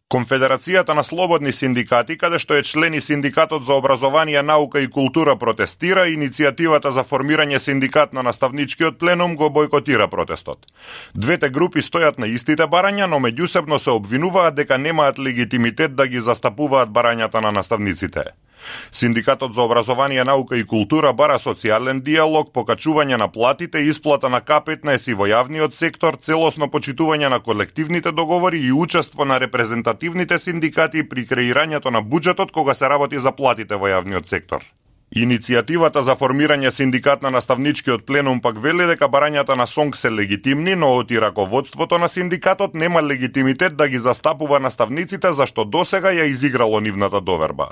Конфедерацијата на слободни синдикати, каде што е член и Синдикатот за образование, наука и култура протестира, иницијативата за формирање синдикат на наставничкиот пленум го бойкотира протестот. Двете групи стојат на истите барања, но меѓусебно се обвинуваат дека немаат легитимитет да ги застапуваат барањата на наставниците. Синдикатот за образование, наука и култура бара социјален диалог, покачување на платите, исплата на К15 во јавниот сектор, целосно почитување на колективните договори и учество на репрезентативните синдикати при креирањето на буџетот кога се работи за платите во јавниот сектор. Иницијативата за формирање синдикат на наставничкиот пленум пак вели дека барањата на СОНК се легитимни, но оти раководството на синдикатот нема легитимитет да ги застапува наставниците зашто досега ја изиграло нивната доверба.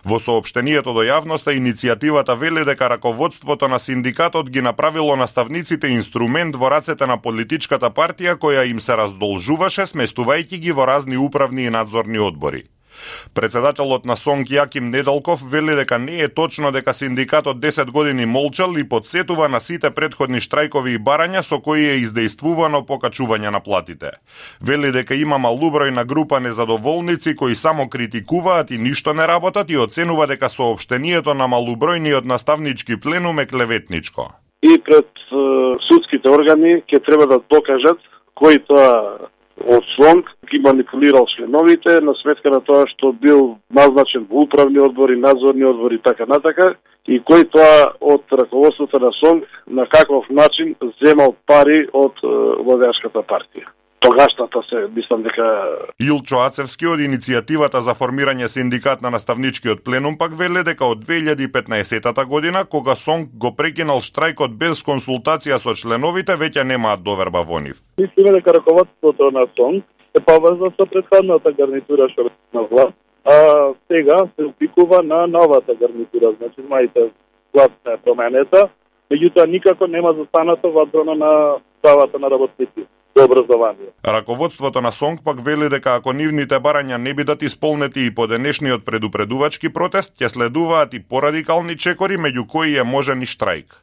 Во соопштението до јавноста иницијативата вели дека раководството на синдикатот ги направило наставниците инструмент во рацете на политичката партија која им се раздолжуваше сместувајќи ги во разни управни и надзорни одбори. Председателот на СОНК Јаким Недалков вели дека не е точно дека синдикатот 10 години молчал и подсетува на сите претходни штрајкови и барања со кои е издејствувано покачување на платите. Вели дека има малубројна група незадоволници кои само критикуваат и ништо не работат и оценува дека соопштението на малубројниот наставнички пленум е клеветничко. И пред судските органи ќе треба да докажат кој тоа од СОНК ги манипулирал членовите на сметка на тоа што бил назначен во управни одбори, надзорни одбори и така натака, и кој тоа од раководството на СОНК на каков начин земал пари од владеачката партија. Тогашната се, мислам дека... Илчо Ацевски од иницијативата за формирање синдикат на наставничкиот пленум пак веле дека од 2015 година, кога СОНК го прекинал штрајкот без консултација со членовите, веќе немаат доверба во нив. Мислиме дека раководството на СОНК се поврзано со претходната гарнитура што на власт, а сега се упикува на новата гарнитура, значи мајте власт е променета, меѓутоа никако нема застанато во одбрана на правата на работници. Раководството на СОНК пак вели дека ако нивните барања не бидат исполнети и по денешниот предупредувачки протест, ќе следуваат и порадикални чекори, меѓу кои е можен и штрајк.